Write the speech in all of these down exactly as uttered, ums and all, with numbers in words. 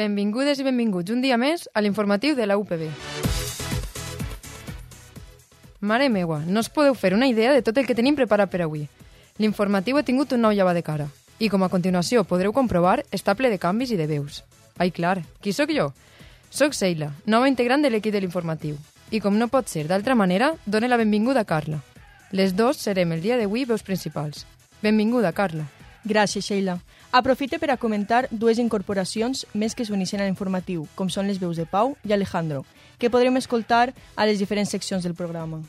Benvingudes i benvinguts un dia més a l'informatiu de la U P B. Mare meua, no us podeu fer una idea de tot el que tenim preparat per avui. L'informatiu ha tingut un nou llevat de cara i, com a continuació podreu comprovar, està ple de canvis i de veus. Ai, clar, qui sóc jo? Soc Sheila, nova integrant de l'equip de l'informatiu. I com no pot ser d'altra manera, done la benvinguda a Carla. Les dos serem el dia d'avui veus principals. Benvinguda, Carla. Gràcies, Sheila. Aprofite per a comentar dues incorporacions més que s'uneixen a l'informatiu, com són les veus de Pau i Alejandro, que podrem escoltar a les diferents seccions del programa.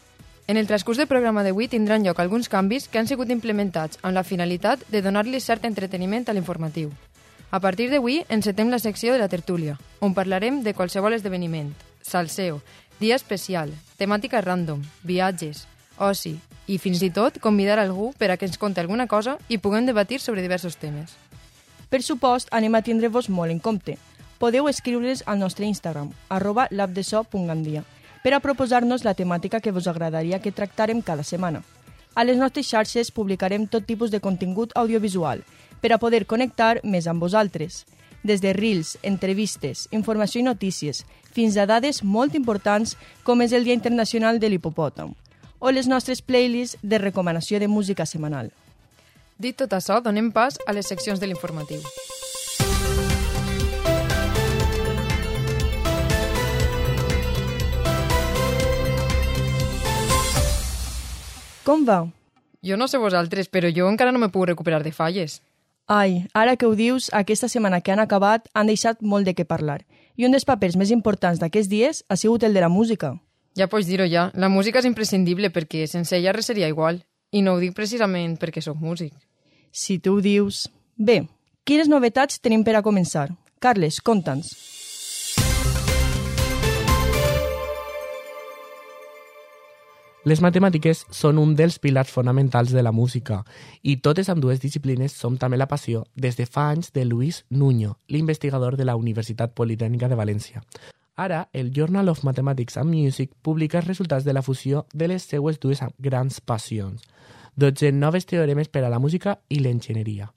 En el transcurs del programa d'avui tindran lloc alguns canvis que han sigut implementats amb la finalitat de donar-li cert entreteniment a l'informatiu. A partir d'avui encetem la secció de la tertúlia, on parlarem de qualsevol esdeveniment, salseo, dia especial, temàtica random, viatges, oci i fins i tot convidar algú per a que ens conti alguna cosa i puguem debatir sobre diversos temes. Per supost, anem a tindre-vos molt en compte. Podeu escriure's al nostre Instagram, arroba labdeso.gandia, per a proposar-nos la temàtica que vos agradaria que tractàrem cada setmana. A les nostres xarxes publicarem tot tipus de contingut audiovisual, per a poder connectar més amb vosaltres. Des de reels, entrevistes, informació i notícies, fins a dades molt importants com és el Dia Internacional de l'Hipopòtam, o les nostres playlists de recomanació de música setmanal. Dit tot això, donem pas a les seccions de l'informatiu. Com va? Jo no sé vosaltres, però jo encara no m'he pogut recuperar de falles. Ai, ara que ho dius, aquesta setmana que han acabat han deixat molt de què parlar. I un dels papers més importants d'aquests dies ha sigut el de la música. Ja pots dir-ho ja, la música és imprescindible perquè sense ella res seria igual. I no ho dic precisament perquè sóc músic. Si tu ho dius... Bé, quines novetats tenim per a començar? Carles, conta'ns. Les matemàtiques són un dels pilars fonamentals de la música i totes amb dues disciplines som també la passió des de fa anys de Luis Nuño, l'investigador de la Universitat Politècnica de València. Ara, el Journal of Mathematics and Music publica els resultats de la fusió de les seues dues grans passions, dotze noves teoremes per a la música i l'enginyeria.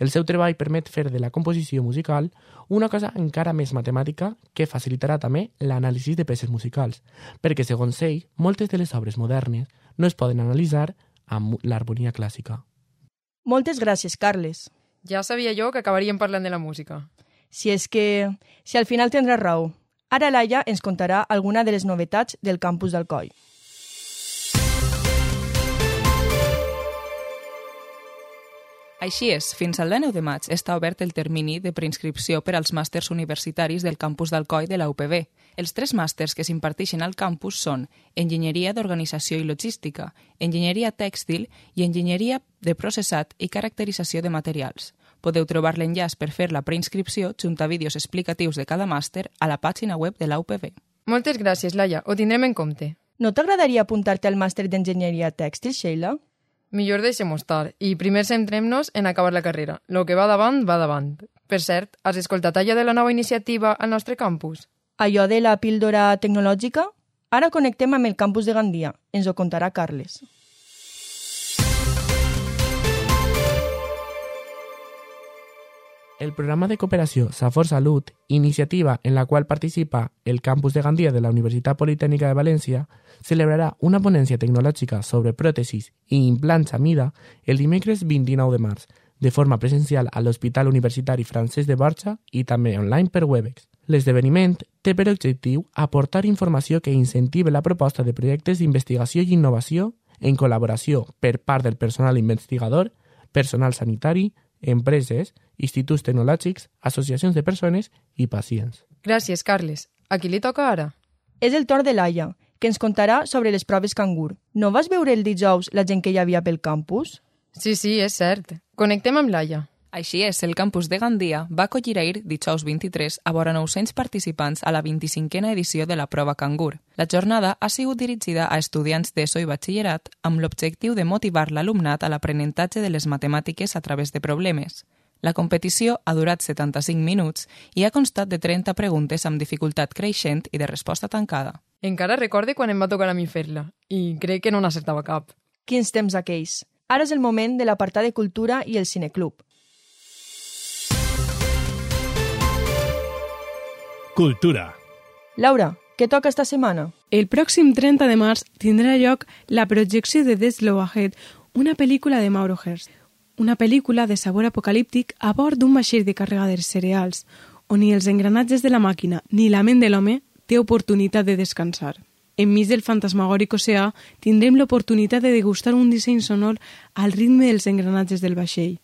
El seu treball permet fer de la composició musical una cosa encara més matemàtica que facilitarà també l'anàlisi de peces musicals, perquè, segons ell, moltes de les obres modernes no es poden analitzar amb l'harmonia clàssica. Moltes gràcies, Carles. Ja sabia jo que acabaríem parlant de la música. Si és que... Si al final tindràs raó. Ara Laia ens contarà alguna de les novetats del campus d'Alcoi. Així és, fins al dinou de maig està obert el termini de preinscripció per als màsters universitaris del campus d'Alcoi de la U P B. Els tres màsters que s'imparteixen al campus són Enginyeria d'Organització i Logística, Enginyeria Tèxtil i Enginyeria de Processat i Caracterització de Materials. Podeu trobar l'enllaç per fer la preinscripció junt a vídeos explicatius de cada màster a la pàgina web de la U P B. Moltes gràcies, Laia, ho tindrem en compte. No t'agradaria apuntar-te al màster d'Enginyeria Tèxtil, Sheila? Millor deixem-ho estar i primer centrem-nos en acabar la carrera. Lo que va davant, va davant. Per cert, has escoltat allò de la nova iniciativa al nostre campus? Allò de la píldora tecnològica? Ara connectem amb el campus de Gandia. Ens ho contarà Carles. El programa de cooperació Safor Salut, iniciativa en la qual participa el campus de Gandia de la Universitat Politècnica de València, celebrarà una ponència tecnològica sobre pròtesis i implants a mida el dimecres vint-i-nou de març, de forma presencial a l'Hospital Universitari Francesc de Borja i també online per Webex. L'esdeveniment té per objectiu aportar informació que incentive la proposta de projectes d'investigació i innovació en col·laboració per part del personal investigador, personal sanitari, empreses, instituts tecnològics, associacions de persones i pacients. Gràcies, Carles. A qui li toca ara? És el torn de Laia, que ens contarà sobre les proves cangur. No vas veure el dijous la gent que hi havia pel campus? Sí, sí, és cert. Connectem amb Laia. Així és, el campus de Gandia va acollir ahir, dijous vint-i-tres, a vora nou-cents participants a la vint-i-cinquena edició de la prova cangur. La jornada ha sigut dirigida a estudiants d'ESO i batxillerat amb l'objectiu de motivar l'alumnat a l'aprenentatge de les matemàtiques a través de problemes. La competició ha durat setanta-cinc minuts i ha constat de trenta preguntes amb dificultat creixent i de resposta tancada. Encara recorde quan em va tocar a mi fer-la, i crec que no n'acertava cap. Quins temps aquells. Ara és el moment de l'apartat de cultura i el cineclub. Cultura. Laura, què toca esta setmana? El pròxim trenta de març tindrà lloc la projecció de Death Slow Ahead, una pel·lícula de Mauro Hearst. Una pel·lícula de sabor apocalíptic a bord d'un vaixell de càrrega de cereals, on ni els engranatges de la màquina ni la ment de l'home té oportunitat de descansar. Enmig del fantasmagòric oceà tindrem l'oportunitat de degustar un disseny sonor al ritme dels engranatges del vaixell.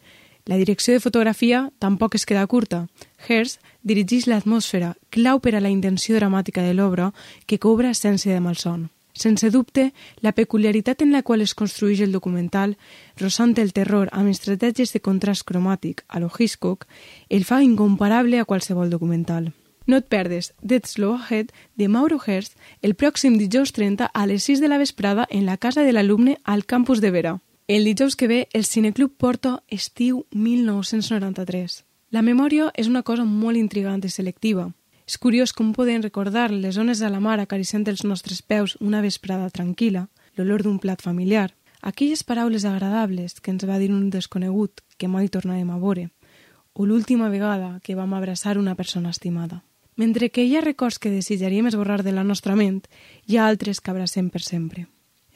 La direcció de fotografia tampoc es queda curta. Hearst dirigeix l'atmosfera, clau per a la intenció dramàtica de l'obra, que cobra essència de malson. Sense dubte, la peculiaritat en la qual es construeix el documental, rosant el terror amb estratègies de contrast cromàtic a lo Hitchcock, el fa incomparable a qualsevol documental. No et perdes Death Slow Ahead de Mauro Hearst el pròxim dijous trenta a les sis de la vesprada en la casa de l'alumne al campus de Vera. El dijous que ve, el Cineclub porta Estiu mil nou-cents noranta-tres. La memòria és una cosa molt intrigant i selectiva. És curiós com podem recordar les ones a la mar acariciant els nostres peus una vesprada tranquil·la, l'olor d'un plat familiar, aquelles paraules agradables que ens va dir un desconegut que mai tornarem a veure, o l'última vegada que vam abraçar una persona estimada. Mentre que hi ha records que desitjaríem esborrar de la nostra ment, hi ha altres que abracem per sempre.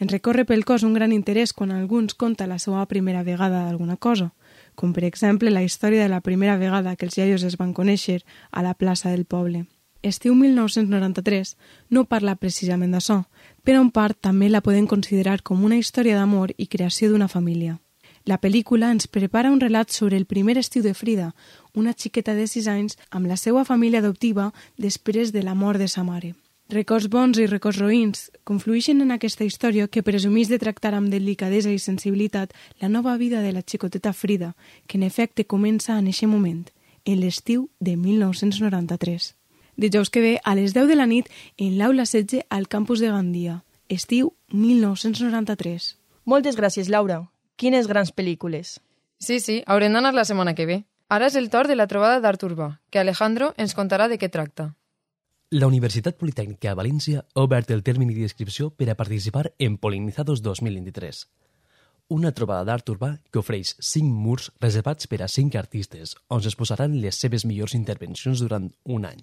Ens recorre pel cos un gran interès quan alguns conta la seva primera vegada d'alguna cosa, com per exemple la història de la primera vegada que els iaios es van conèixer a la plaça del poble. Estiu mil nou-cents noranta-tres no parla precisament d'això, però en part també la podem considerar com una història d'amor i creació d'una família. La pel·lícula ens prepara un relat sobre el primer estiu de Frida, una xiqueta de sis anys amb la seva família adoptiva després de la mort de sa mare. Records bons i records roïns conflueixen en aquesta història que presumeix de tractar amb delicadesa i sensibilitat la nova vida de la xicoteta Frida, que en efecte comença en eixe moment, en l'estiu de mil nou-cents noranta-tres. Dijous que ve a les deu de la nit en l'aula setze al campus de Gandia, estiu mil nou-cents noranta-tres. Moltes gràcies, Laura. Quines grans pel·lícules. Sí, sí, haurem d'anar la setmana que ve. Ara és el torn de la trobada d'art urbà, que Alejandro ens contarà de què tracta. La Universitat Politècnica de València ha obert el termini d'inscripció per a participar en Polinizados dos mil vint-i-tres, una trobada d'art urbà que ofereix cinc murs reservats per a cinc artistes, on s'exposaran les seves millors intervencions durant un any.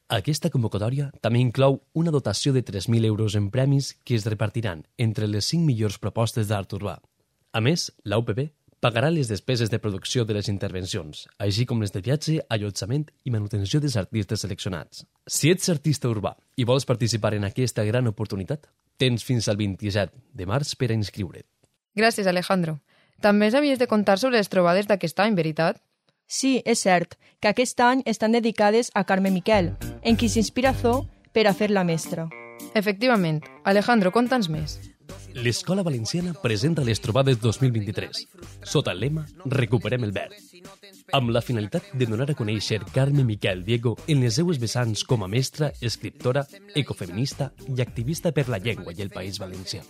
Aquesta convocatòria també inclou una dotació de tres mil euros en premis que es repartiran entre les cinc millors propostes d'art urbà. A més, la U P B pagarà les despeses de producció de les intervencions, així com les de viatge, allotjament i manutenció dels artistes seleccionats. Si ets artista urbà i vols participar en aquesta gran oportunitat, tens fins al vint-i-set de març per a inscriure't. Gràcies, Alejandro. També ens havies de contar sobre les trobades d'aquest any, veritat? Sí, és cert, que aquest any estan dedicades a Carme Miquel, en qui s'inspira Zo per a fer la mestra. Efectivament. Alejandro, conta'ns més. L'Escola Valenciana presenta les trobades dos mil vint-i-tres, sota el lema Recuperem el verd, amb la finalitat de donar a conèixer Carme Miquel Diego en les seues vessants com a mestra, escriptora, ecofeminista i activista per la llengua i el País Valencià.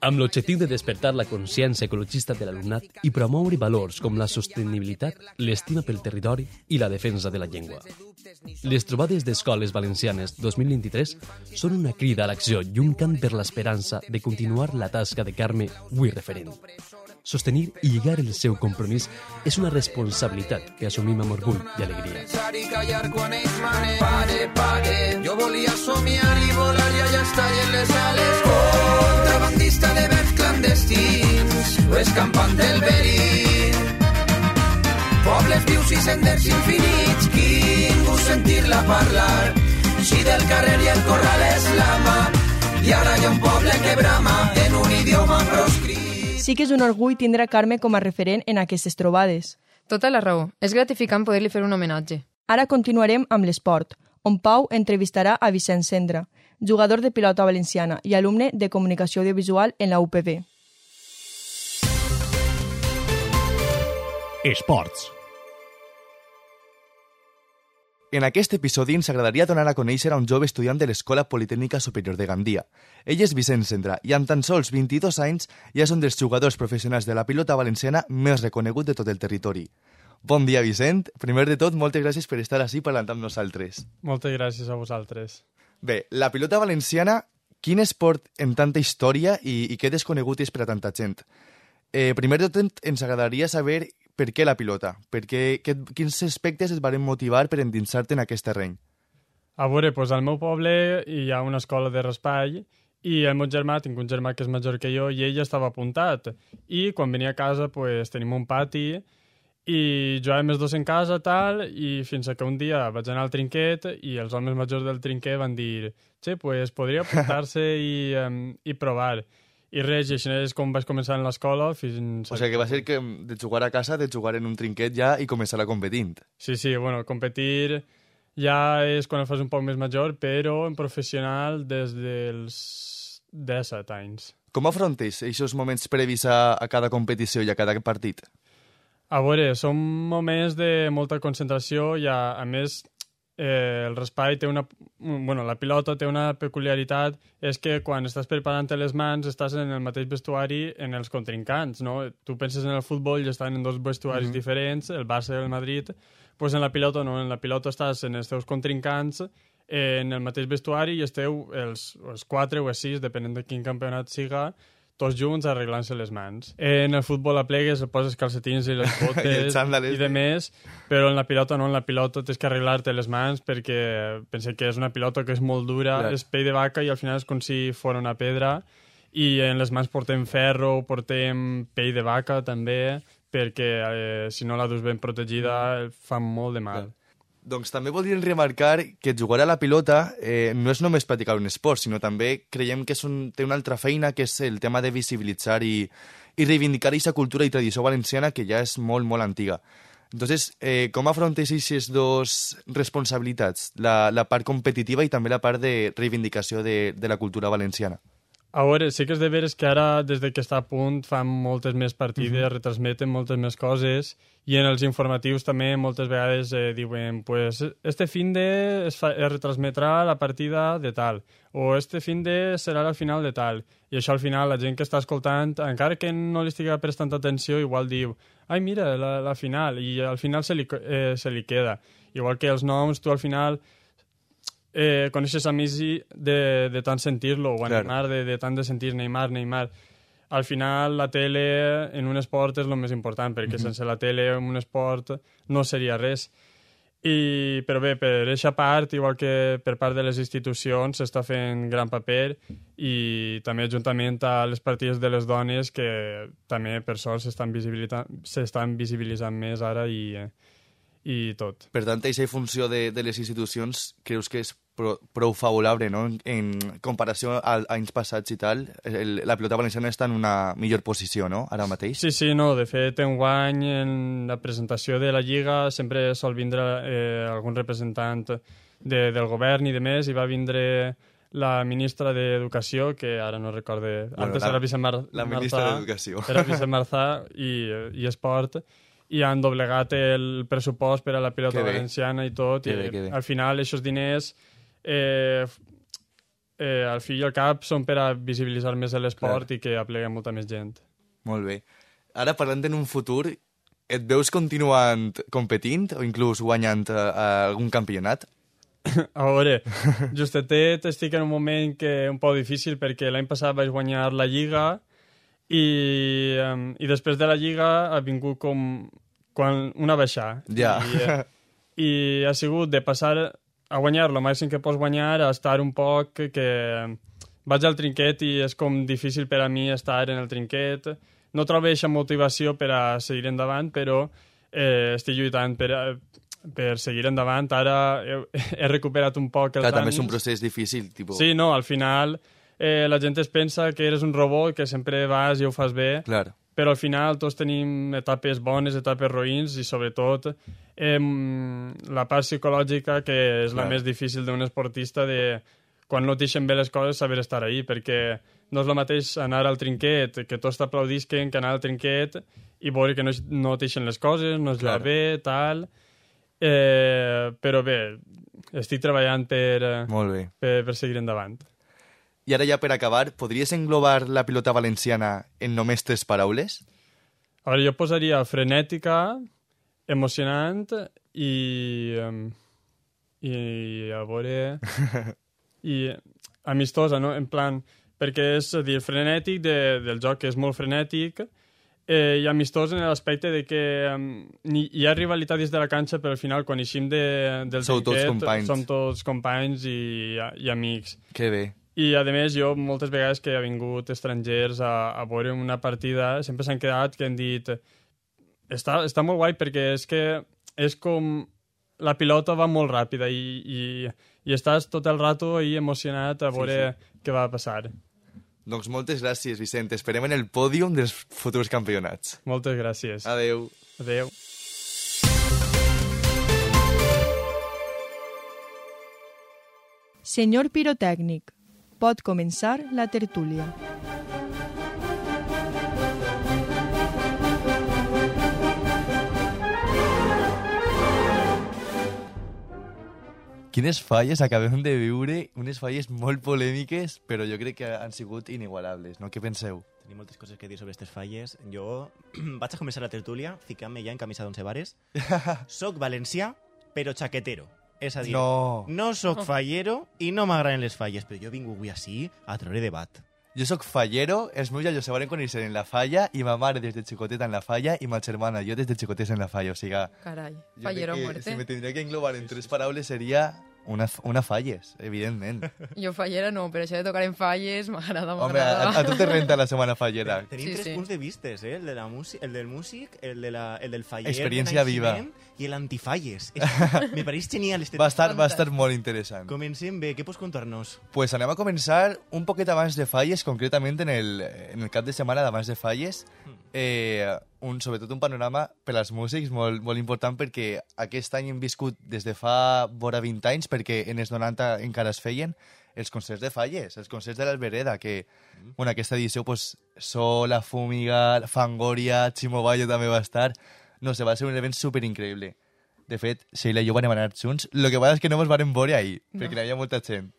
Amb l'objectiu de despertar la consciència ecologista de l'alumnat i promoure valors com la sostenibilitat, l'estima pel territori i la defensa de la llengua. Les trobades d'escoles valencianes dos mil vint-i-tres són una crida a l'acció i un cant per l'esperança de continuar la tasca de Carme, avui referent. Sostenir i lligar el seu compromís és una responsabilitat que assumim amb orgull i alegria. Pare, pare, jo volia somiar i volar i allà està i en les ales. Contrabandista de verbs clandestins, o escampant del verí. Pobles vius i senders infinits, ningú sentir-la parlar. Si del carrer i el corral és l'ama, i ara hi ha un poble que brama en un idioma proscrit. Sí que és un orgull tindre Carme com a referent en aquestes trobades. Tota la raó. És gratificant poder-li fer un homenatge. Ara continuarem amb l'esport, on Pau entrevistarà a Vicent Cendra, jugador de pilota valenciana i alumne de comunicació audiovisual en la U P B. Esports. En aquest episodi ens agradaria donar a conèixer a un jove estudiant de l'Escola Politècnica Superior de Gandia. Ell és Vicent Cendra i amb tan sols vint-i-dos anys ja és un dels jugadors professionals de la pilota valenciana més reconegut de tot el territori. Bon dia, Vicent. Primer de tot, moltes gràcies per estar ací parlant amb nosaltres. Moltes gràcies a vosaltres. Bé, la pilota valenciana, quin esport en tanta història i, i què desconegut és per a tanta gent? Eh, primer de tot, ens agradaria saber per què la pilota, per què, que, quins aspectes et van motivar per endinsar-te en aquest terreny. A veure, doncs al meu poble hi ha una escola de raspall i el meu germà, tinc un germà que és major que jo, i ell ja estava apuntat. I quan venia a casa pues, tenim un pati i jugàvem els dos en casa, tal, i fins que un dia vaig anar al trinquet i els homes majors del trinquet van dir «Che, pues podria apuntar-se i, um, i provar». I res, i així és com vaig començar en l'escola fins... O sigui que va ser que de jugar a casa, de jugar en un trinquet ja i començar a competint. Sí, sí, bueno, competir ja és quan el fas un poc més major, però en professional des dels disset anys. Com afrontes aquests moments previs a, a cada competició i a cada partit? A veure, són moments de molta concentració i, a, a més, eh, el raspall té una... Bueno, la pilota té una peculiaritat, és que quan estàs preparant les mans estàs en el mateix vestuari en els contrincants, no? Tu penses en el futbol i estan en dos vestuaris mm-hmm. diferents, el Barça i el Madrid, pues en la pilota no, en la pilota estàs en els teus contrincants, eh, en el mateix vestuari i esteu els, els quatre o els sis, depenent de quin campionat siga, tots junts arreglant-se les mans. En el futbol aplegues, poses calcetins i les botes i, i de més, però en la pilota no, en la pilota tens que arreglar-te les mans perquè pensé que és una pilota que és molt dura, clar. És pell de vaca i al final és com si fos una pedra i en les mans portem ferro, portem pell de vaca també, perquè eh, si no la dus ben protegida fa molt de mal. Clar. Doncs també voldríem remarcar que jugar a la pilota eh, no és només practicar un esport, sinó també creiem que és un, té una altra feina, que és el tema de visibilitzar i, i reivindicar aquesta cultura i tradició valenciana que ja és molt, molt antiga. Entonces, eh, com afrontes aquestes dues responsabilitats, la, la part competitiva i també la part de reivindicació de, de la cultura valenciana? A veure, sí que és de veres que ara, des de que està a punt, fan moltes més partides, uh-huh. retransmeten moltes més coses, i en els informatius també moltes vegades eh, diuen pues este fin de es, fa, es retransmetrà la partida de tal, o este fin de serà la final de tal, i això al final la gent que està escoltant, encara que no li estigui prestant atenció, igual diu ai mira, la, la final, i al final se li, eh, se li queda. Igual que els noms, tu al final... Eh, coneixes a Messi de, de tant sentir-lo, o a claro. Neymar de, de tant de sentir Neymar, Neymar. Al final la tele en un esport és el més important, perquè mm-hmm. sense la tele en un esport no seria res. I, però bé, per aquesta part, igual que per part de les institucions, s'està fent gran paper i també juntament a les partides de les dones que també per sort s'estan visibilitzant, s'estan visibilitzant més ara i... Eh, i tot. Per tant, aquesta funció de, de les institucions creus que és pro, prou favorable, no? En, en comparació a, a anys passats i tal, el, la pilota valenciana està en una millor posició, no?, ara mateix? Sí, sí, no, de fet, enguany en la presentació de la Lliga sempre sol vindre eh, algun representant de, del govern i de més, i va vindre la ministra d'Educació, que ara no recorde... Bueno, antes la, era Vicent Mar La ministra d'Educació. Era Vicent Marzà i, i Esport, i han doblegat el pressupost per a la pilota valenciana i tot, que i bé, al final aquests diners eh, eh, al fi i al cap són per a visibilitzar més l'esport i que aplega molta més gent. Molt bé. Ara, parlant en un futur, et veus continuant competint o inclús guanyant uh, algun campionat? A veure, justet estic en un moment que un poc difícil perquè l'any passat vaig guanyar la Lliga i, um, i després de la Lliga ha vingut com quan una baixada. Ja. I, eh, I ha sigut de passar a guanyar el màxim que pots guanyar a estar un poc que, que vaig al trinquet i és com difícil per a mi estar en el trinquet. No trobo aquesta motivació per a seguir endavant, però eh, estic lluitant per a, per seguir endavant. Ara he, he recuperat un poc els Clar, ànims. també és un procés difícil. Tipo... Sí, no, al final... Eh, la gent es pensa que eres un robot, que sempre vas i ho fas bé, Clar. però al final tots tenim etapes bones, etapes roïns i sobretot eh, la part psicològica, que és Clar. La més difícil d'un esportista, de quan no t'ixen bé les coses saber estar ahí, perquè no és el mateix anar al trinquet, que tots t'aplaudisquen, que anar al trinquet i veure que no, no t'ixen les coses, no es va bé, tal... Eh, però bé, estic treballant per, Molt bé. per, per seguir endavant. I ara ja per acabar, podries englobar la pilota valenciana en només tres paraules? A veure, jo posaria frenètica, emocionant i... Um, i a veure... i amistosa, no? En plan, perquè és a dir, frenètic de, del joc, que és molt frenètic, eh, i amistós en l'aspecte de que um, ni, hi ha rivalitat dins de la canxa, però al final, quan eixim de, del Sou tots trinquet, companys. som tots companys i, i amics. Que bé. I, a més, jo, moltes vegades que he vingut estrangers a, a veure una partida, sempre s'han quedat que han dit està, està molt guai perquè és que és com la pilota va molt ràpida i, i, i estàs tot el rato ahí emocionat a veure sí, sí. què va passar. Doncs moltes gràcies, Vicent. Esperem en el pòdium dels futurs campionats. Moltes gràcies. Adeu. Adeu. Senyor pirotècnic, pot començar la tertúlia. Quines falles acabem de viure, unes falles molt polèmiques, però jo crec que han sigut inigualables, no? Què penseu? Tenim moltes coses que dir sobre aquestes falles. Jo vaig a començar la tertúlia ficant-me ja en camisa d'onze vares. Soc valencià, però xaquetero. És a dir, no, no soc fallero i no m'agraden les falles, però jo vinc avui així a treure debat. Jo soc fallero, els meus iaios se van conèixer en la falla i ma mare des de xicoteta en la falla i ma germana jo des de xicotes en la falla, o sigui... Carai, fallero a muerte. Si me tindria que englobar en tres paraules seria una, una falles, evidentment. Jo fallera no, però això de tocar en falles m'agrada, m'agrada. Home, a, a tu te renta la setmana fallera. Tenim Sí, tres sí. punts de vistes, eh? El, de la músic, el del músic, el, de la, el del faller Experiència de viva. naixement i l'antifalles. És- Me pareix genial este Va estar, va estar molt interessant. Comencem bé, què pots contar-nos? Pues anem a començar un poquet abans de falles, concretament en el, en el cap de setmana d'abans de falles, eh, un, sobretot un panorama per als músics molt, molt important perquè aquest any hem viscut des de fa vora vint anys, perquè en els noranta encara es feien els concerts de falles, els concerts de l'Albereda, que mm. bueno, aquesta edició pues, Sola, Fúmiga, Fangoria, Chimo Bayo també va estar. No sé, va ser un event superincreïble. De fet, Sheila i jo vam anar junts. El que passa és que no ens vam veure ahir, no. perquè hi havia molta gent.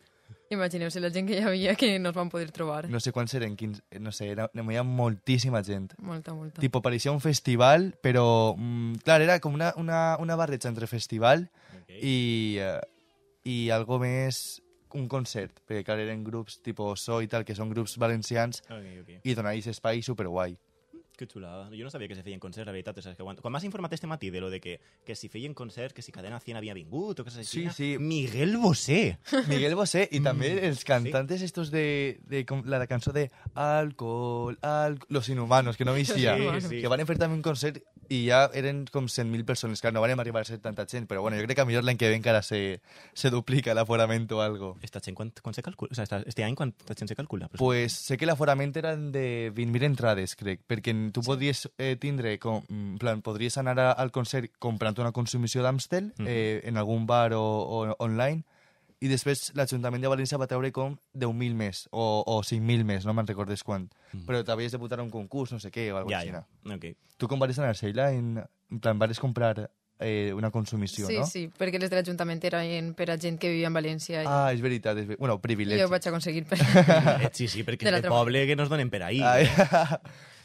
Imagineu-se la gent que hi havia que no es van poder trobar. No sé quants eren, quins, no sé, era, hi havia moltíssima gent. Molta, molta. Tipo, pareixia un festival, però, mm, clar, era com una, una, una barreja entre festival okay. i, uh, i algo més un concert, perquè clar, eren grups tipus So i tal, que són grups valencians, Okay, okay. i donar aquest espai superguai. Que xulada. Jo no sabia que se feien concerts, la veritat. O sea, que quan quan m'has informat este matí de lo de que, que si feien concerts, que si Cadena cien havia vingut o coses així... Sí, sí. Miguel Bosé. Miguel Bosé i també Mm. els cantantes sí. estos de, de com la cançó de Alcohol, alcohol, Los Inhumanos, que no m'eixia, Sí, sí. que van fer també un concert i ja eren com cent mil persones, clar, no van arribar a ser tanta gent, però bueno, jo crec que a millor l'any que ve encara se, se duplica l'aforament o algo. Esta gent, quan, quan se calcula? O sea, esta, este any, quanta gent se calcula? Pues sé que l'aforament eren de vint mil entrades, crec, perquè tu sí. podries eh, tindre, com, en plan, podries anar a, al concert comprant una consumició d'Amstel mm -hmm. eh, en algun bar o, o online, i després l'Ajuntament de València va treure com deu mil més, o, o cinc mil més, no me'n recordes quant. Mm. Però t'havies de votar a un concurs, no sé què, o alguna ja, cosa ja. així. Okay. Tu com vas anar, Sheila? En, en plan, vas comprar eh, una consumició, sí, no? Sí, sí, perquè les de l'Ajuntament eren per a gent que vivia en València. I... Ah, és veritat, és ver... bueno, privilegi. Jo ho vaig aconseguir per... Sí, sí, perquè de és de poble que no es donen per ahir. Ai,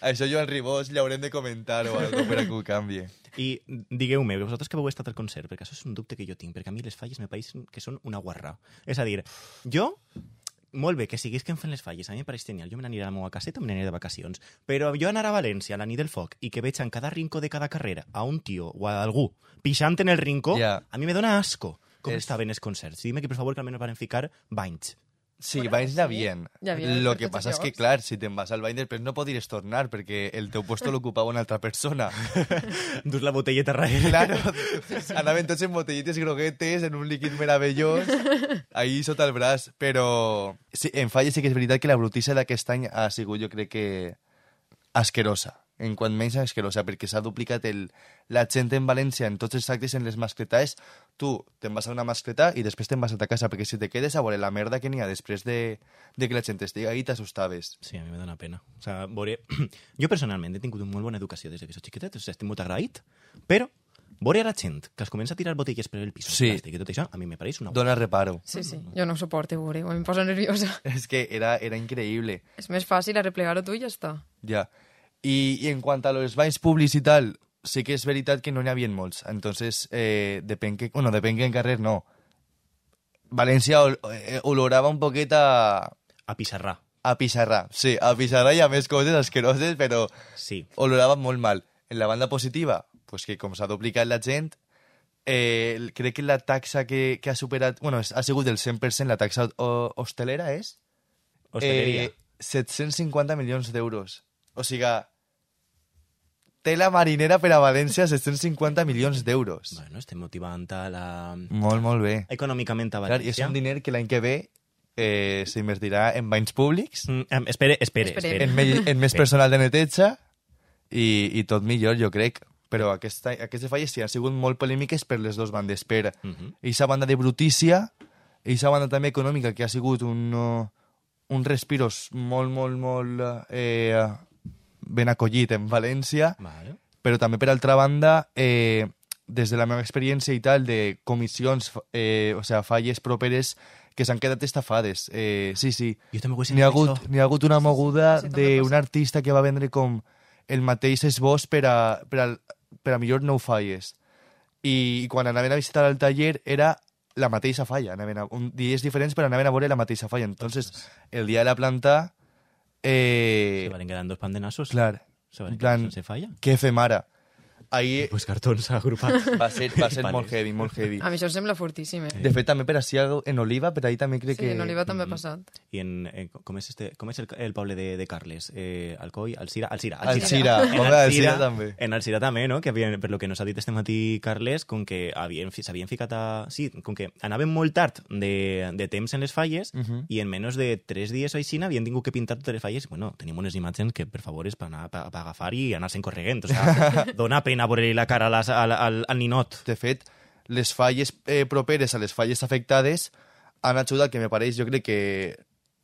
això Joan Ribós l'haurem de comentar o algo per a que ho canvi. I digueu-me, vosaltres que vau estat al concert, perquè això és un dubte que jo tinc, perquè a mi les falles me pareixen que són una guarrà. És a dir, jo, molt bé, que siguisquen fent les falles, a mi em pareix genial, jo me n'aniré a la meva caseta o me n'aniré de vacacions, però jo anar a València a la nit del foc i que veig en cada rincó de cada carrera a un tio o a algú pixant en el rincó, yeah. a mi me dona asco. Com és... estaven els concerts? Dime que, per favor, que almenys van ficar banys. Sí, bueno, banys n'havien. Ja Lo que passa és que, clar, si te'n vas al bany després no podries tornar perquè el teu puesto l'ocupava una altra persona. Dus la botelleta darrere. Claro, anaven tots en botelletes groguetes, en un líquid meravellós, ahí sota el braç. Però sí, en falles sí que és veritat que la brutissa d'aquest any ha sigut, jo crec que, asquerosa. En quant menys asquerosa, perquè s'ha duplicat el, la gent en València en tots els actes en les mascletades. Tu te'n vas a una mascleta i després te'n vas a ta casa, perquè si te quedes a veure la merda que n'hi ha després de, de que la gent estigui ahí, t'assustaves. Sí, a mi me dona pena. O sea, veure... Jo personalment he tingut una molt bona educació des que soc xiquetet, o sigui, estic molt agraït, però veure a la gent que es comença a tirar botelles per el pis sí. plàstic i tot això, a mi me pareix una... Dona reparo. Sí, sí, jo no ho suporto veure, em posa nerviosa. És que era, era increïble. És més fàcil arreplegar-ho tu i ja està. Ja. I, i en quant a los banys públics i tal, sí que és veritat que no n'hi havia molts. Entonces, eh, depèn que... Bueno, depèn que en carrer no. València ol, eh, olorava un poquet a... A pissarrà. A pixarrar, sí, a pixarrar hi ha més coses asqueroses, però Sí. olorava molt mal. En la banda positiva, pues que com s'ha duplicat la gent, eh, crec que la taxa que, que ha superat... Bueno, ha sigut del cent per cent, la taxa o, hostelera és... Hosteleria. Eh, set-cents cinquanta milions d'euros. O sigui, tela marinera per a València, set-cents cinquanta milions d'euros. Bueno, estem motivant a la... Molt, molt bé. econòmicament a Clar, i és València. un diner que l'any que ve eh, s'invertirà en banys públics, Mm, em, espere, espere, Esperem. espere. en, me, en més Bé. personal de neteja i, i tot millor, jo crec. Però aquesta, aquestes falles sí han sigut molt polèmiques per les dues bandes. Per Mhm. aquesta banda de brutícia, aquesta banda també econòmica, que ha sigut un, uh, un respiros molt, molt, molt eh, ben acollit en València, Vale. però també per altra banda, eh, des de la meva experiència i tal, de comissions, eh, o sigui, falles properes que s'han quedat estafades. Eh, sí, sí. Jo també ho he sentit, N'hi ha, hagut, això. n'hi ha hagut una moguda Sí, també d'un artista que va vendre com el mateix esbós per a, per a, per a millor nou falles. I, I quan anaven a visitar el taller era la mateixa falla. Anaven a, un, dies diferents, però anaven a veure la mateixa falla. Entonces, el dia de la planta... Eh, Se van quedant dos pandenassos. clar, Se van en plan, quedant sense falla. què fem ara? Ahir Pues cartons agrupats. va ser, va ser Vale. molt heavy, molt heavy. A mi això em sembla fortíssim, eh? De fet, també per així en Oliva, per ahir també crec Sí, que... en Oliva també ha Mm. passat. I en, eh, com és, este, com és el, el poble de, de Carles? Eh, Alcoi, Alcira? Alcira. Alcira, En home, Alcira també. En Alcira també, no? Que havien, per lo que nos ha dit este matí Carles, com que havien, fi- s'havien ficat a... Sí, com que anaven molt tard de, de temps en les falles Mhm. i en menys de tres dies o així havien tingut que pintar totes les falles. Bueno, tenim unes imatges que, per favor, és per anar per, per agafar i anar-se'n corregent. O sea, dona pena veure la cara a les, al, al, al ninot. De fet, les falles eh, properes a les falles afectades han ajudat, que me pareix, jo crec que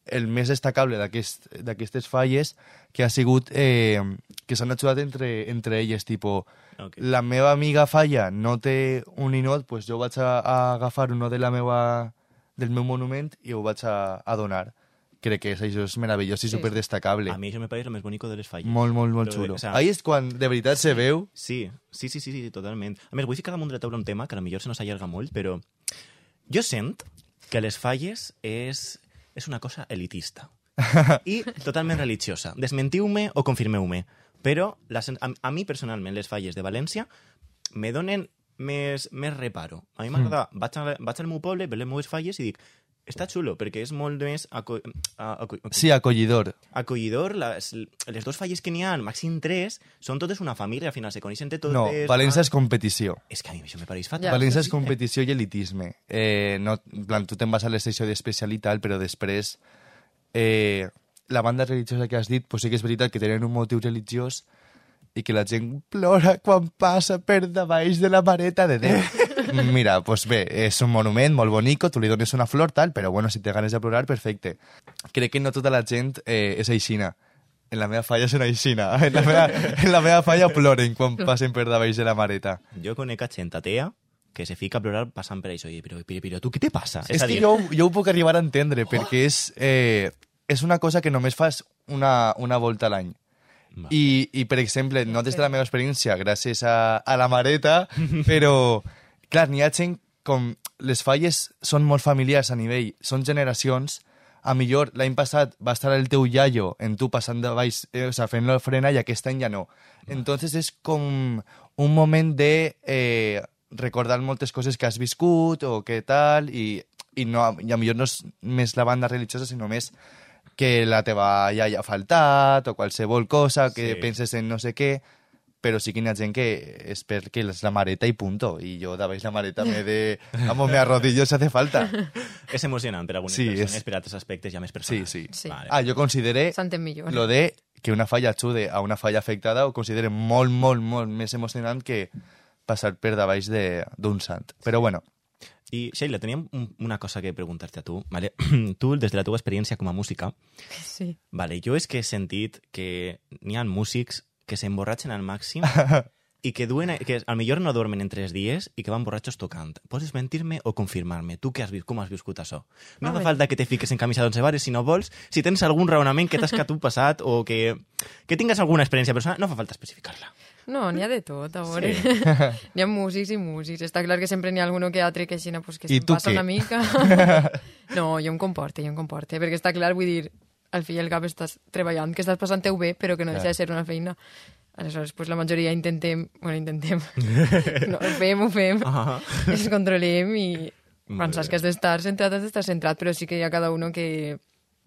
el més destacable d'aquest- d'aquestes falles que ha sigut eh, que s'han ajudat entre, entre elles, tipo, Ok. la meva amiga falla no té un ninot, pues jo vaig a, a agafar uno de la meva, del meu monument i ho vaig a, a donar. Crec que és, això és meravellós i Sí, superdestacable. A mi això me pareix el més bonic de les falles. Molt, molt, molt Lo de- xulo. o sea, Ahí és quan de veritat se veu... Sí, sí, sí, sí, sí, totalment. A més, vull ficar damunt de la taula un tema que potser se nos allarga molt, però jo sent que les falles és, és una cosa elitista i totalment religiosa. Desmentiu-me o confirmeu-me, però les, a, a mi personalment les falles de València me donen més, més reparo. A mi m'agrada, mm. vaig, a, vaig al meu poble, veure les meves falles i dic, està xulo, perquè és molt més aco a, aco Sí, acollidor. acollidor. Les, les dues falles que n'hi ha, màxim tres, són totes una família, al final se coneixen de totes. No, València és competició. És que a mi això me pareix fatal. Ja. València és competició i elitisme. Eh, no, en plan, tu te'n vas a l'estació d'especialitat, però després eh, la banda religiosa que has dit, pues sí que és veritat que tenen un motiu religiós i que la gent plora quan passa per davall de la mareta de Déu. Mira, pues bé, és un monument molt bonico, tu li dones una flor, tal, però bueno, si te ganes de plorar, perfecte. Crec que no tota la gent eh, és aixina. En la meva falla són aixina. En la meva, en la meva falla ploren quan passen per davall de la mareta. Jo conec a gent atea que se fica a plorar passant per això. I, però, però, però tu què te passa? És a que dir, jo, jo ho puc arribar a entendre, perquè és, eh, és una cosa que només fas una, una volta a l'any. Va. I, I, per exemple, no des de la meva experiència, gràcies a, a la mareta, però, clar, n'hi ha gent com... Les falles són molt familiars a nivell, són generacions. A millor l'any passat va estar el teu iaio en tu passant de baix, eh, o sigui, fent la frena, i aquest any ja no. Entonces és com un moment de eh, recordar moltes coses que has viscut o què tal, i, i, no, i a millor no és més la banda religiosa, sinó més que la teva iaia ha faltat o qualsevol cosa, que Sí. penses en no sé què, però sí que hi ha gent que és perquè és la mareta i punto. I jo de baix la mareta me de... Vamos, me arrodillo si hace falta. És emocionant per a algunes Sí, persones, és- per a altres aspectes ja més Sí, personals. sí. Sí. Vale. Ah, jo consideré S'entén millor. lo de que una falla ajude a una falla afectada, ho considero molt, molt, molt més emocionant que passar per davall de- d'un sant. Però bueno, I, Sheila, teníem un- una cosa que preguntar-te a tu. Vale? Tu, des de la teva experiència com a música, Sí. vale, jo és que he sentit que n'hi ha músics que s'emborratxen al màxim i que duen, que al millor no dormen en tres dies i que van borratxos tocant. Pots mentir-me o confirmar-me? Tu que has vist, com has viscut això? No Home. fa falta que te fiques en camisa d'onze vares, si no vols, si tens algun raonament que t'has que tu passat o que, que tingues alguna experiència personal, no fa falta especificar-la. No, n'hi ha de tot, a veure. Sí. N'hi ha músics i músics. Està clar que sempre n'hi ha alguno que altre que aixina, pues, que I se'n tu passa què? una mica. No, jo em comporte, jo em comporte, perquè està clar, vull dir, al fi i al cap estàs treballant, que estàs passant-ho bé, però que no deixa de ser una feina. Aleshores, pues, la majoria intentem... Bueno, intentem. No, ho fem, ho fem. Ah. Ens controlem i quan saps que has d'estar centrat, has d'estar centrat, però sí que hi ha cada uno que...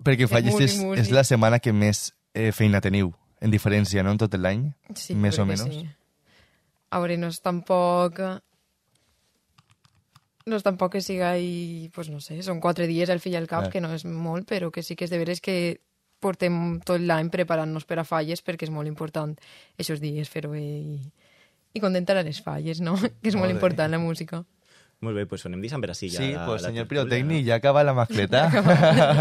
Perquè Falles és, és la setmana que més eh, feina teniu, en diferència, no?, en tot l'any? Sí, més o menys. Sí. A veure, no és tampoc... No és tampoc que siga i... Pues no sé, són quatre dies al fill al cap, ah. que no és molt, però que sí que és de veres que portem tot l'any preparant-nos per a falles perquè és molt important aquests dies fer-ho bé i, i contentar a les falles, no? Que és molt, molt important la música. Molt bé, pues anem deixant per així ja. Sí, la, pues la senyor tertúlia, pirotècnic, no? ja acaba la mascleta.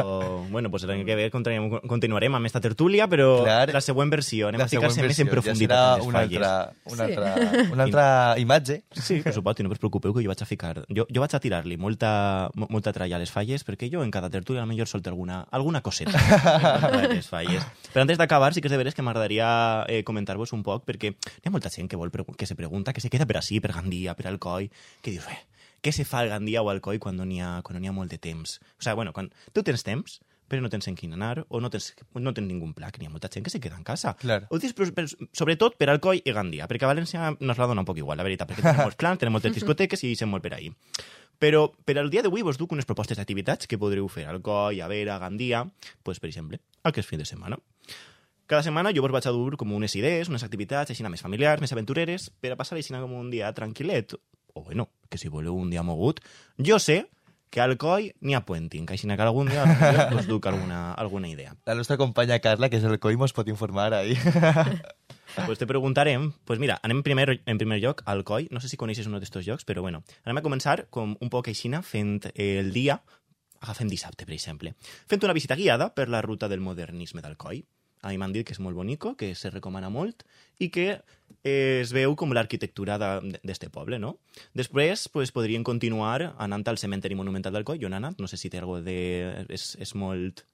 o, bueno, pues l'any que ve continuarem, continuarem amb esta tertúlia, però Clar, la següent versió, anem a ficar-se més en profunditat ja en les una falles. Altra, una, sí. altra, una altra imatge. Sí, per supost, i no us preocupeu que jo vaig a ficar... Jo, jo vaig a tirar-li molta, molta tralla a les falles, perquè jo en cada tertúlia potser solto alguna, alguna coseta a les falles. Però antes d'acabar, sí que és de veres que m'agradaria eh, comentar-vos un poc, perquè hi ha molta gent que, vol que se pregunta, que se queda per així, per Gandia, per Alcoi, que dius, eh, què se fa al Gandia o al Alcoi quan no n'hi ha, quan no n'hi ha molt de temps? O sigui, bueno, quan tu tens temps, però no tens en quin anar, o no tens, no tens ningú pla, que n'hi ha molta gent que se queda en casa. Claro. Ho dius, però, però, sobretot per Alcoi i Gandia, perquè a València nos la dona un poc igual, la veritat, perquè tenim molts plans, tenim moltes discoteques i sem molt per ahí. Però per al dia d'avui vos duc unes propostes d'activitats que podreu fer a Alcoi, a Vera, a Gandia, pues, per exemple, aquest fin de setmana. Cada setmana jo vos vaig a dur com unes idees, unes activitats així més familiars, més aventureres, per a passar així com un dia tranquil·let, o bueno, que si voleu un dia mogut. Jo sé que al Alcoi n'hi ha puenting, que així que algun dia us duc alguna, alguna idea. La nostra companya Carla, que és el Alcoi, mos pot informar ahí. Pues te preguntarem, pues mira, anem primer, en primer lloc al Alcoi, no sé si coneixes un d'estos llocs, però bueno, anem a començar com un poc així fent el dia, agafem dissabte, per exemple, fent una visita guiada per la ruta del modernisme d'Alcoi. A mi m'han dit que és molt bonico, que se recomana molt i que eh, es veu com l'arquitectura d'este poble, no? Després pues, podrien continuar anant al cementeri monumental d'Alcoi. Jo n'he anat, no sé si té alguna de... És, és molt...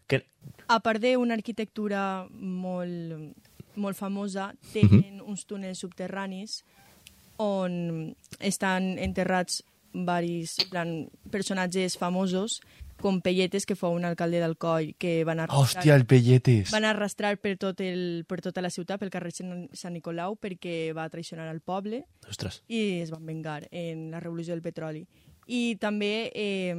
Que... A part d'una arquitectura molt, molt famosa, tenen uh-huh. uns túnels subterranis on estan enterrats varis plan, personatges famosos com Pelletes, que fou un alcalde d'Alcoi, que van arrastrar... Hòstia, el Pelletes! Van arrastrar per, tot el, per tota la ciutat, pel carrer Sant Nicolau, perquè va traicionar al poble. Ostres. I es van vengar en la revolució del petroli. I també eh,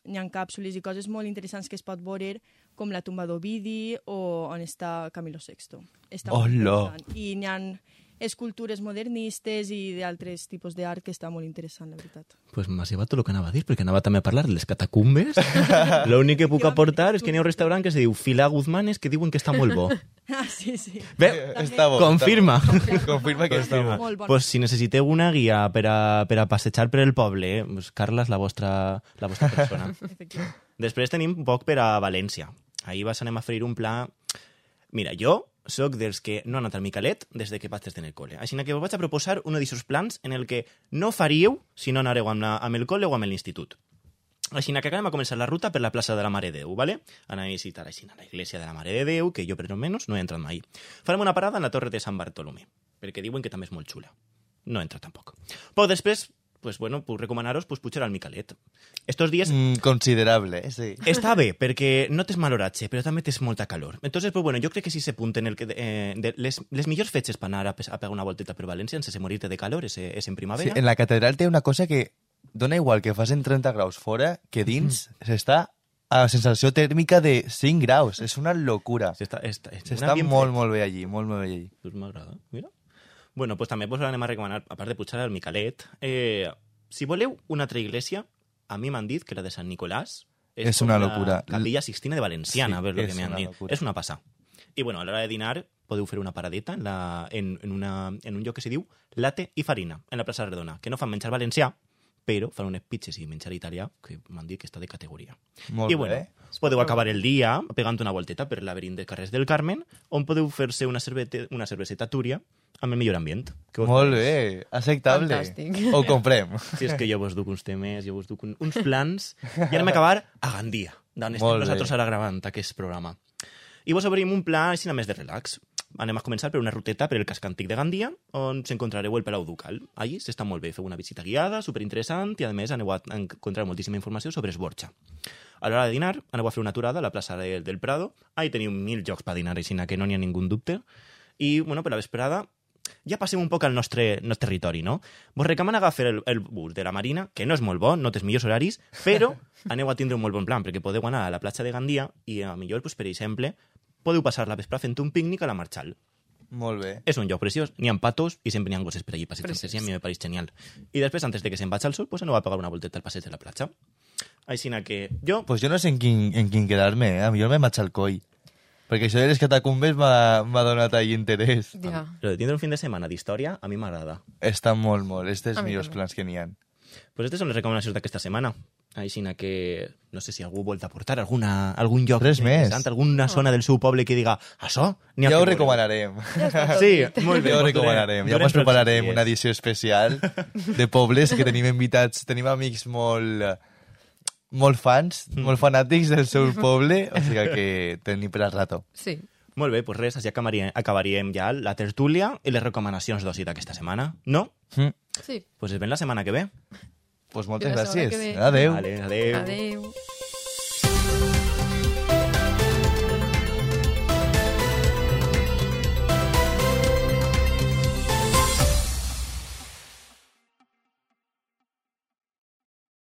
hi ha càpsules i coses molt interessants que es pot veure, com la tumba d'Ovidi o on està Camilo sexto. Està molt interessant. I hi ha escultures modernistes i d'altres tipus d'art que està molt interessant, la veritat. Pues m'has llevat tot el que anava a dir, perquè anava també a parlar de les catacumbes. L'únic que puc aportar és que n'hi ha un restaurant que se diu Fila Guzmanes, que diuen que està molt bo. Ah, sí, sí. Bé, està bo, confirma. Està bo. Confirma que està bo. Molt bon. Pues si necessiteu una guia per a, per a passejar per el poble, pues Carla és la vostra, la vostra persona. Després tenim un poc per a València. Ahir vas anem a fer un pla... Mira, jo soc dels que no ha anat al Micalet des de que vaig estar en el col·le. Així que us vaig a proposar un d'aquests plans en el que no faríeu si no anareu amb, la, amb el col·le o amb l'institut. Així que acabem a començar la ruta per la plaça de la Mare de Déu, ¿vale? Anem a visitar així la iglesia de la Mare de Déu, que jo per almenys no he entrat mai. Farem una parada en la torre de Sant Bartolomé, perquè diuen que també és molt xula. No he entrat tampoc. Però després, pues bueno, puc recomanar-vos pues, pujar al Micalet. Estos días... Mm, considerable, eh, sí. Està bé, perquè no tens mal horatge, però també tens molta calor. Entonces, pues bueno, jo crec que si se punten el que, eh, de les, les millors fetges per anar a, a pegar una volteta per València sense morir-te de calor és, és en primavera. Sí, en la catedral té una cosa que dona igual que facin trenta graus fora, que dins mm. s'està a sensació tèrmica de cinc graus. És una locura. S'està està, està molt, molt bé allí, molt, molt bé allí. Pues m'agrada, mira. Bueno, pues també vos anem a recomanar, a part de pujar al Micalet, eh, si voleu una altra iglesia, a mi m'han dit que la de Sant Nicolàs és, és una locura. La Capilla Sixtina de Valenciana, sí, a veure el que m'han dit. Locura. És una passada. I bueno, a l'hora de dinar podeu fer una paradeta en, la, en, en, una, en un lloc que se diu Latte i Farina, en la plaça Redona, que no fan menjar valencià, però fan unes pizzas i menjar italià que m'han dit que està de categoria. Molt I bueno, bé. podeu acabar el dia pegant una volteta per el laberint de carrers del Carmen, on podeu fer-se una, cervete, una cerveseta túria amb el millor ambient. Molt bé, acceptable. Fantàstic. Ho comprem. Si és que jo vos duc uns temes, jo vos duc un, uns plans, i anem a acabar a Gandia, d'on estem nosaltres ara gravant aquest programa. I vos obrim un pla així més de relax. anem a començar per una ruteta per el casc antic de Gandia, on s'encontrareu el Palau Ducal. Allí s'està molt bé, feu una visita guiada, superinteressant, i a més aneu a encontrar moltíssima informació sobre Esborxa. A l'hora de dinar, aneu a fer una aturada a la plaça del, del Prado. Ahí teniu mil jocs per dinar, així que no n'hi ha ningú dubte. I, bueno, per la vesprada, ja passem un poc al nostre, nostre territori, no? Vos recomanen agafar el, el bus de la Marina, que no és molt bo, no té els millors horaris, però aneu a tindre un molt bon plan, perquè podeu anar a la platja de Gandia i, a millor, pues, per exemple, podeu passar la vesprada fent un pícnic a la Marchal. Molt bé. És un lloc preciós, n'hi ha patos i sempre n'hi ha gosses per allí passejant, i a mi me pareix genial. I després, antes de que se'n vaig al sol, pues aneu a pegar una volteta al passeig de la platja. Així que jo... Pues jo no sé en quin, en quin quedar-me, eh? A mi jo me vaig al coi. Perquè això de les catacumbes m'ha donat ahí interès. Ja. Però de tindre un fin de setmana d'història, a mi m'agrada. Està molt, molt. És dels A mi millors també. plans que n'hi ha. Pues aquestes són les recomanacions d'aquesta setmana. Així que no sé si algú vol aportar alguna, algun lloc Res més. interessant, alguna zona del seu poble que diga això, n'hi ha Ja que ho veure". recomanarem. Ja està tot Sí, dit. molt bé. Ja ho doncs recomanarem. Ja durem us prepararem tots els una dies. edició especial de pobles que tenim invitats. Tenim amics molt, molt fans, molt fanàtics del seu poble, o sigui que tenim per al rato. Sí. Molt bé, doncs res, així acabaríem, acabaríem ja la tertúlia i les recomanacions d'oci d'aquesta setmana, no? Mm. Sí. Doncs pues es ven la setmana que ve. Pues moltes Fins la setmana gràcies. que ve. Adeu. Vale, adeu. Adeu.